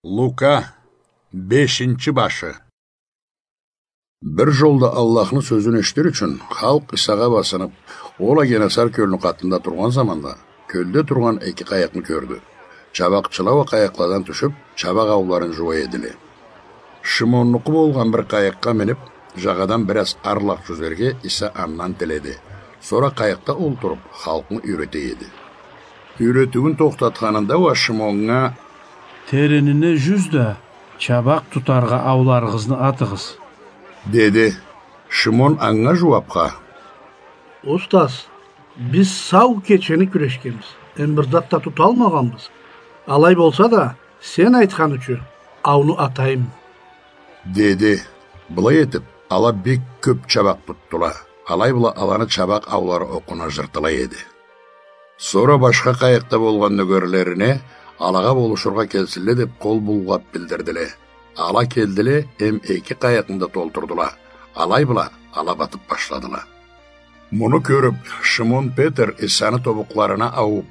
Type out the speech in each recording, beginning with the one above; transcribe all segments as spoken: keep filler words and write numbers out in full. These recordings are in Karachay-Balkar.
Лука, бешинчи башы. Бир жолда Аллахны сёзюн эшитир ючюн, халкъ Исагъа басынып, ол а Генасар кёлню къатында тургъан заманда, кёлде тургъан эки къайыкъны кёрдю. Чабакъчыла уа къайыкъладан тюшюп, чабакъ ауларын жууа эдиле. Шимоннукъу болгъан бир къайыкъгъа минип, жагъадан бир аз арлакъ жюзерге Иса андан тиледи. Сора къайыкъда олтуруп, халкъны юйрете эди. Юйретиуюн тохтатханында уа Шимоннга: «Теренине жюз да, чабакъ тутаргъа ауларыгъызны атыгъыз», — деди. Шимон анга жууапха: «Устаз, биз сау кечени кюрешгенбиз, эм бир зат да туталмагъанбыз. Алай болса да, сен айтхан ючюн ауну атайым», — деди. Былай этип, ала бек кёп чабакъ тутдула. Алай бла аланы чабакъ аулары окъуна жыртылай эди. Сора башха къайыкъда болгъан нёгерлерине алагъа болушургъа келсинле деп къол буллап билдирдиле. Ала келдиле эм эки къайыкъны да толтурдула. Алай бла ала батып башладыла. Муну кёрюп, Шимон Петр Исаны тобукъларына аууп: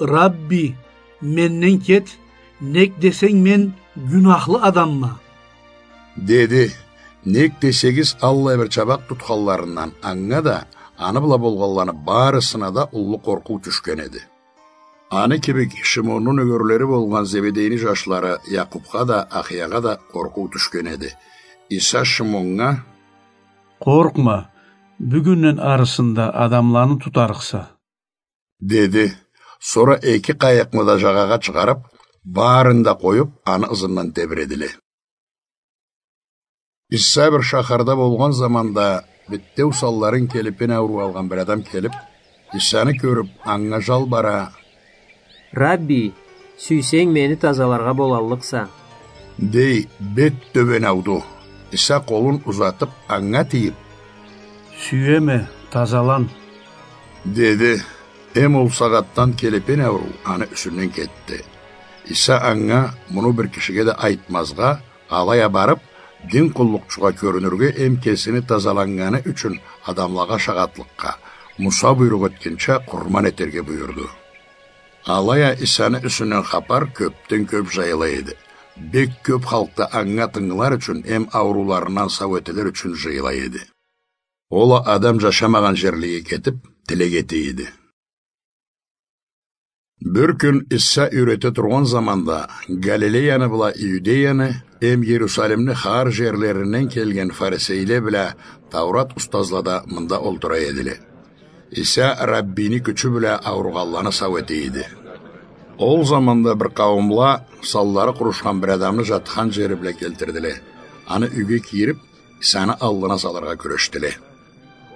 «Рабби, менден кет, нек десенг, мен гюнахлы адамма», — деди. Нек десегиз, аллай бир чабакъ тутханларындан анга да, аны бла болгъанланы барысына да уллу къоркъуу тюшген эди. Аны кибик Шимонну нёгерлери болгъан Зеведейни жашлары Якъупха да, Ахиягъа да къоркъуу тюшген эди. Иса Шимоннга: «Къоркъма, бюгюнден арысында адамланы тутарыкъса», — деди. Сора эки къайыкъны да жагъагъа чыгъарып, барын да къоюп, аны ызындан тебиредиле. Иса бир шахарда болгъан заманда, битеу санларын келепен ауруу алгъан бир адам келип, Исаны кёрюп, анга жалбара: «Рабби, сюйсенг, мени тазаларгъа болаллыкъса», — дей, бет тёбен ауду. Иса къолун узатып, анга тийип: «Сюеме, тазалан», — деди. Эм ол сагъатдан келепен ауруу аны юсюнден кетди. Иса анга, муну бир кишиге да айтмазгъа, алай а барып, дин къуллукъчугъа кёрюнюрге эм кесини тазаланнганы ючюн адамлагъа шагъатлыкъгъа, Муса буйрукъ этгенча, къурман этерге буюрду. Алай а Исаны юсюнден хапар кёпден кёп жайыла эди. Бек кёп халкъ да анга тынгылар ючюн эм аурууларындан сау этилир ючюн жыйыла эди. Ол а адам жашамагъан жерлеге кетип, тилек эте эди. Бир кюн Иса юйрете тургъан заманда, Галилеяны бла Иудеяны эм Иерусалимни хар жерлеринден келген фарисейле бла Таурат устазла да мында олтура эдиле. Иса Раббини кючю бла ауругъанланы сау эте эди. Ол заманда бир къауумла санлары къурушхан бир адамны жатхан жери бла келтирдиле. Аны юйге кийирип, Исаны аллына салыргъа кюрешдиле.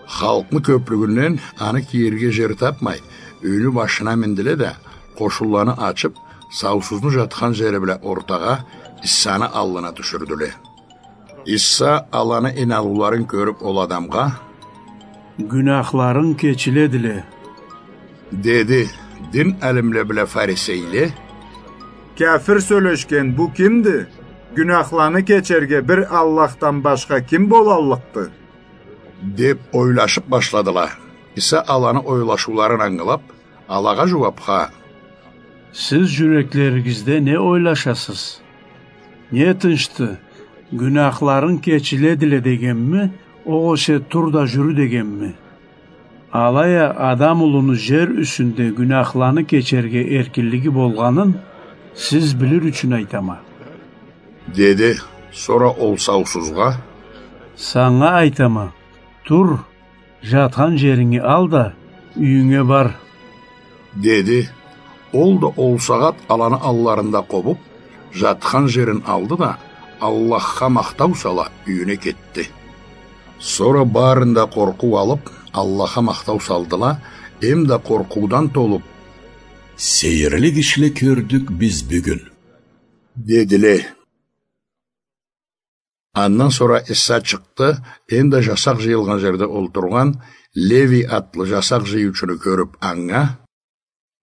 Халкъны кёплюгюнден аны кийирге жер тапмай, юйню башына миндиле да, къошунланы ачып, саусузну жатхан жери бла ортагъа, Исаны аллына тюшюрдюле. Иса аланы ийнаныуларын кёрюп, ол адамгъа: «Гюнахларынг кечиледиле», — деди. Дин алимле бла фарисейле: «Кяфир сёлешген бу кимди? Гюнахланы кечерге бир Аллахдан башха ким болаллыкъды?» — деп ойлашып башладыла. Иса аланы ойлашыуларын ангылап, алагъа жууапха: «Сиз жюреклеригизде не ойлашасыз? Не тынчды, гюнахларынг кечиледиле дегенми, огъесе тур да жюрю дегенми? Алай а Адам улуну жер юсюнде гюнахланы кечерге эркинлиги болгъанын сиз билир ючюн айтама», — деди. Сора ол саусузгъа: «Санга айтама, тур, жатхан жеринги ал да, юйюнге бар», — деди. Ол да ол сагъат аланы алларында къобуп, жатхан жерин алды да, Аллахха махтау сала, юйюне кетди. Сора барын да къоркъуу алып, Аллахха махтау салдыла, эм да къоркъуудан толуп: «Сейирлик ишле кёрдюк биз бюгюн», — дедиле. Андан сора Иса чыкъды, эм да жасакъ жыйылгъан жерде олтургъан Левий атлы жасакъ жыйыучуну кёрюп, анга: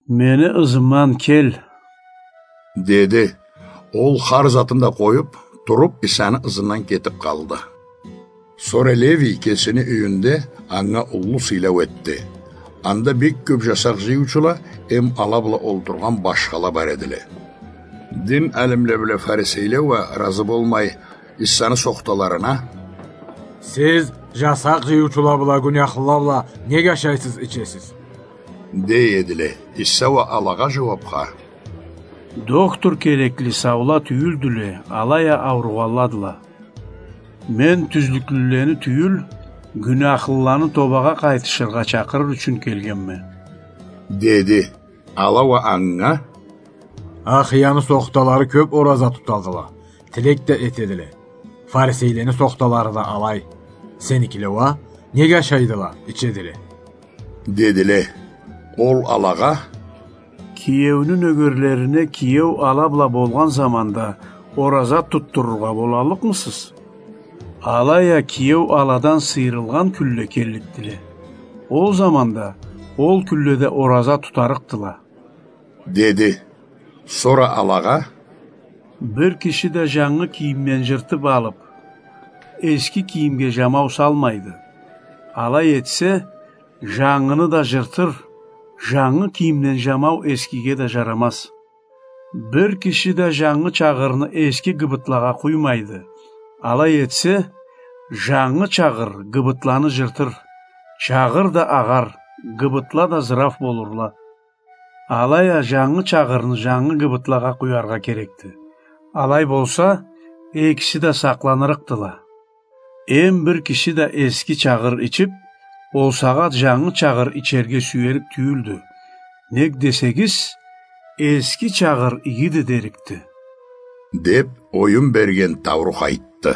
«Мени ызымдан кел», — деди. Ол хар затын да къоюп, туруп, Исаны ызындан кетип къалды. Сора Левий кесини юйюнде анга уллу сыйлау этди. Анда бек кёп жасакъ жыйыучула эм ала бла олтургъан башхала бар эдиле. Дин алимле бла фарисейле уа разы болмай, Иссаны сохталарына: «Сиз жасакъ жыйыучула бла гюнахлыла бла нек ашайсыз, ичесиз?» — дей эдиле. Исса уа алагъа жууапха: «Дохтур керекли саула тюйюлдюле, алай а ауругъанладыла. Мен тюзлюклюлени тюйюл, гюнахлыланы тобагъа къайтышыргъа чакъырыр ючюн келгенме», — деди. Ала уа анга: «Ахияны сохталары кёп ораза тутадыла, тилек да этедиле. Фарисейлени сохталары да алай. Сеникиле уа нек ашайдыла, ичедиле?» — дедиле. Ол алагъа: «Киеуню нёгерлерине киеу ала бла болгъан заманда ораза тутдурургъа болаллыкъмысыз? Алай а киеу аладан сыйырылгъан кюнле келликдиле. Ол заманда ол кюнледе ораза тутарыкъдыла», — деди. Сора алагъа: «Бир киши да жангы кийимден жыртып алып, эски кийимге жамау салмайды. Алай этсе, жангыны да жыртыр, жангы кийимден жамау эскиге да жарамаз. Бир киши да жангы чагъырны эски гыбытлагъа къуймайды. Алай этсе, жангы чагъыр гыбытланы жыртыр, чагъыр да агъар, гыбытла да зыраф болурла. Алай а жангы чагъырны жангы гыбытлагъа къуяргъа керекди. Алай болса, экиси да сакъланырыкъдыла. Эм бир киши да эски чагъыр ичип, ол сагъат жангы чагъыр ичерге сюерик тюйюлдю. Нек десегиз, эски чагъыр игиди дерикди», — деп, оюн берген Таурух айтды.